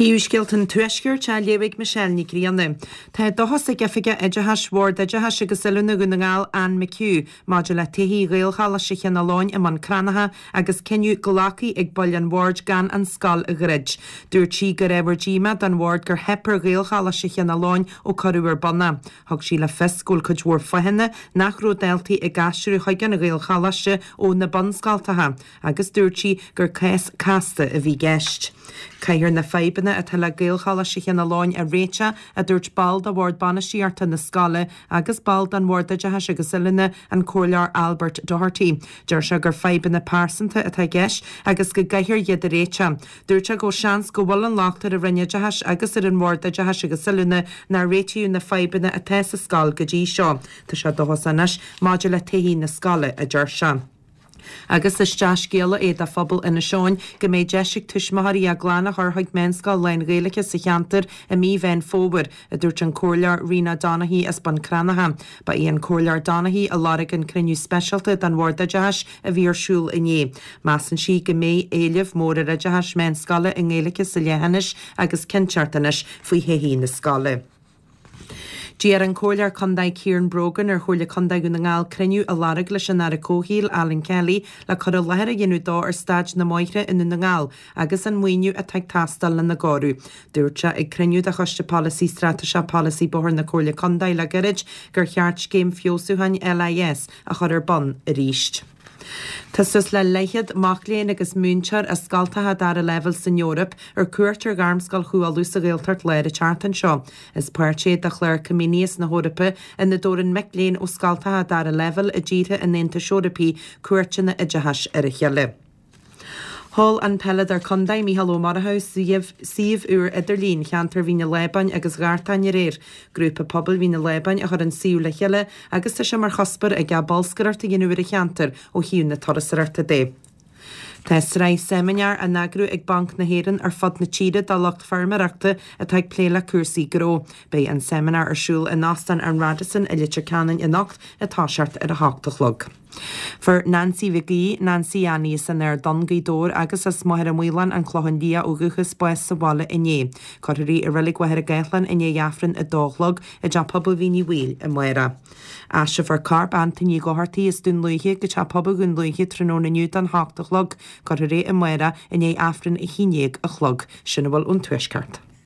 Príomhscéalta an Tuaiscirt á léamh ag Michelle Ní Ghrianna. Tá dóchas ag Oifigeach Oideachais Bhord Oideachais agus Oiliúna Dhún na nGall, Anne McHugh, maidir le todhchaí Ghaelcholáiste Chionn Fhaoláin i mBun Cranncha agus cinneadh glactha ag baill an bhoird gan an scoil a dhruid. Dúirt sí gur ábhar díomá don bhord gur theip ar Ghaelcholáiste Chionn Fhaoláin ó cuireadh ar bun é. Thug sí le fios go bhfuil cuid mhór fáthanna nach raibh daltaí ag aistriú chuig an Ghaelcholáiste ó na bunscoltacha. agus dúirt sí gur cás casta a bhí i gceist. Caithfear na fadhbanna atá le Gaelcholáiste Chionn Fhaoláin a réiteach, a dúirt ball de bhord bainistíochta na scoile agus ball den Bhord Oideachais agus Oiliúna, an Comhairleoir Albert Doherty. Deir sé gur fadhbanna pearsanta atá i gceist agus go gcaithfear iad a réiteach. Dúirt sé go bhfuil seans go bhfuil an locht ar an Roinn Oideachais agus ar an Bhord Oideachais agus Oiliúna nár réitíodh na fadhbanna atá sa scoil go dtí seo. Tá sé dóchasach anois maidir le todhchaí na scoile, a deir sé. Agus is dea-scéala é do phobal Inis Eoghain go mbeidh deis ag tuismitheoirí a gclann a chur chuig meánscoil lán-Ghaeilge sa cheantar i mí Mheán Fómhair, a dúirt an Comhairleoir Rena Donaghey as Bun Cranncha. Ba í an Comhairleoir Donaghey a lorg an cruinniú speisialta den Bhord Oideachais a bhí ar siúl inné. Measann sí go mbeidh éileamh mór ar oideachas meánscoile i nGaeilge sa leithinis agus cinnteacht anois faoi thodhchaí na scoile. D'iarr an Comhairleoir Contae Ciaran Brogan ar Chomhairle Contae Dhún na nGall cruinniú a lorg leis an Aire Comhshaoil, Alan Kelly, le cur i láthair a dhéanamh dó ar staid na mbóithre i nDún na nGall agus an maoiniú atá ag teastáil lena gcóiriú. Dúirt sé ag cruinniú de Choiste Polasaí Straitéiseach Polasaí Bóthair na Comhairle Contae le gairid gur cheart scéim feabhsúcháin LIS a chur ar bun arís. Tá suas le leathchéad mac léinn agus múinteoir as scoltacha dara leibhéal san Eoraip ar cuairt ar Ghairmscoil Chú Uladh sa Ghaeltacht Láir an tseachtain seo. Is páirt é de chlár Comenius na hEorpa ina dtabharann mic léinn ó scoltacha dara leibhéal i dtíortha an Aontais Eorpaigh cuairteanna oideachais ar a chéile. Sheol an peileadóir contae, Mícheál Ó Murchú, suíomh úr idirlín cheantar Mhín an Lábáin agus Ghartáin aréir. Grúpa Pobail Mhín an Lábáin a chuir an suíomh le chéile agus tá sé mar chuspóir aige bolscaireacht a dhéanamh ar an cheantar ó thaobh na turasóireachta de. Tá sraith seimineár á n-eagrú ag Banc na hÉireann ar fud na tíre do lucht feirmeoireachta atá ag plé le cúrsaí gnó. Beidh an seimineár ar siúl in Óstán an Radisson i Leitir Ceanainn anocht ag toiseacht ar a hocht a chlog. Fuair Nancy Mhic Aoidh, Nancy Annie as an Aird Donn, Gaoth Dobhair agus as Machaire Maoláin, An Clochán Liath ó dhúchas, bás sa bhaile inné. Cuirfear í i Reilig Mhachaire Gathlán i ndiaidh Aifreann a dó a chlog i dTeach Pobail Mhín Uí Bhaoill amárach. Aistreofar corp Antaine Uí Dhochartaigh as Dún Lúiche go Teach Pobail Dhún Lúiche tráthnóna inniu don hocht a chlog. Cuirfear é amárach i ndiaidh Aifreann a haon dhéag a chlog. Sin a bhfuil ón Tuaisceart.